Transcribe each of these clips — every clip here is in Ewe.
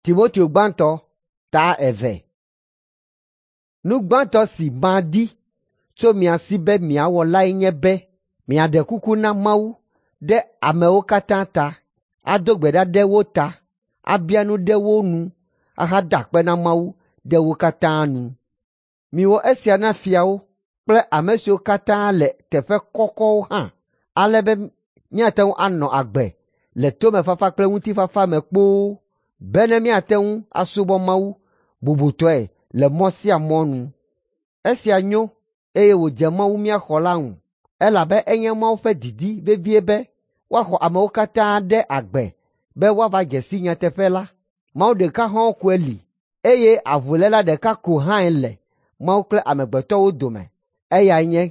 Timoteo gbãtɔ ta eve. Nu gbãtɔ si madi tso mia si be miawɔ lae nye be miaɖe kuku na Mawu ɖe amewo katã ta, ado gbe ɖa ɖe wo ta, abia nu ɖe wo nu ahada akpe na Mawu ɖe wo katã nu. Miwɔ esia na fiawo kple ame siwo katã le teƒe kɔkɔwo hã, ale be míate ŋu anɔ agbe le tomefafa kple ŋutifafa me kpoo bene míate ŋu asubɔ Mawu bubutɔe le mɔ sia mɔ nu. Esia nyo eye wòdze Mawu mía xɔla ŋu, elabe enye Mawu ƒe didi vevie be woaxɔ amewo katã ɖe agbe be woava dze si nyateƒe la. Mawu ɖeka hɔ̃ɔ koe li eye avuléla ɖeka ko hãe le Mawu kple amegbetɔwo dome, eyae nye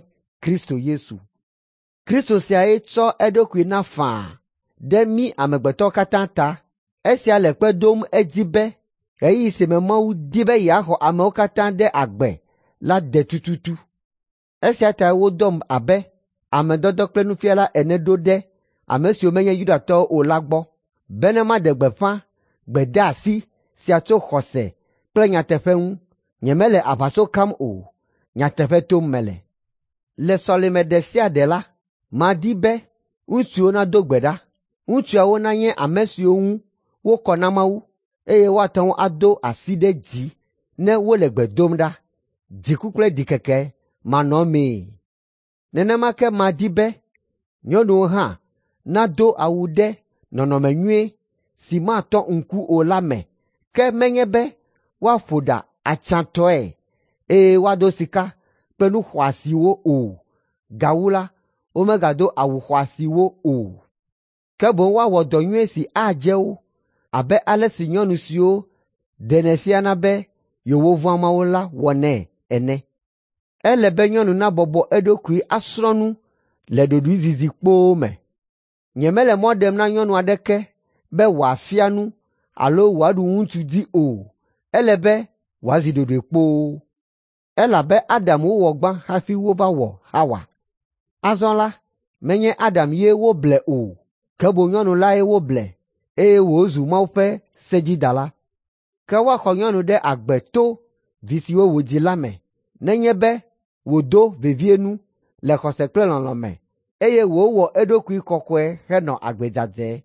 Kristo Yesu. Kristo siae tsɔ eɖokui na faa ɖe mí amegbetɔwo katã ta. Esia le kpe ɖom edzi be ɣeyiɣi si me Mawu di be yeaxɔ amewo katã ɖe agbe la de tututu. Esia tae wodɔm abe ame dɔdɔ kple nufiala ene ɖo ɖe ame siwo menye Yudatɔwo o la gbɔ, bene maɖe gbeƒã gbedeasi sia tso xɔse kple nyateƒe ŋu. Nyemele aʋatso kam o, nyateƒe tom mele. Le sɔleme ɖe sia ɖe la, madi be ŋutsuwo nado gbe ɖa. Ŋutsuawo nanye ame siwo ŋu wokɔ na Mawu, eye woate ŋu ado asi ɖe dzi ne wole gbe dom ɖa, dziku kple ɖikeke manɔmee. Nenema ke madi be nyɔnuwo hã nado awu ɖe nɔnɔme nyui si matɔ ŋku o la me, ke menye be woaƒo ɖa atsyãtɔe eye woado sika kple nu xɔasiwo o. Gawu la, womegado awu xɔasiwo o. Ke boŋ woawɔ dɔ nyui si adze wo abe ale si nyɔnu siwo ɖenɛ fiana be yewovɔ̃a Mawu la wɔnɛ ene. Ele be nyɔnu nabɔbɔ eɖokui asrɔ̃ nu le ɖoɖoezizi kpoo me. Nyemele mɔ ɖem na nyɔnu aɖeke be wòafia nu alo wòaɖu ŋutsu dzi o. Ele be wòazi ɖoɖoe kpoo. Elabe Adam wowɔ gbã hafi wova wɔ Hawa. Azɔ la, menye Adam ye woble o, ke boŋ nyɔnu lae woble eye wòzu Mawu ƒe sedzidala. Ke woaxɔ nyɔnu ɖe agbe to vi siwo wòdzi la me, nenye be wòdo vevie nu le xɔse kple lɔlɔ̃ me, eye wòwɔ eɖokui kɔkɔe henɔ agbe dzadzɛ.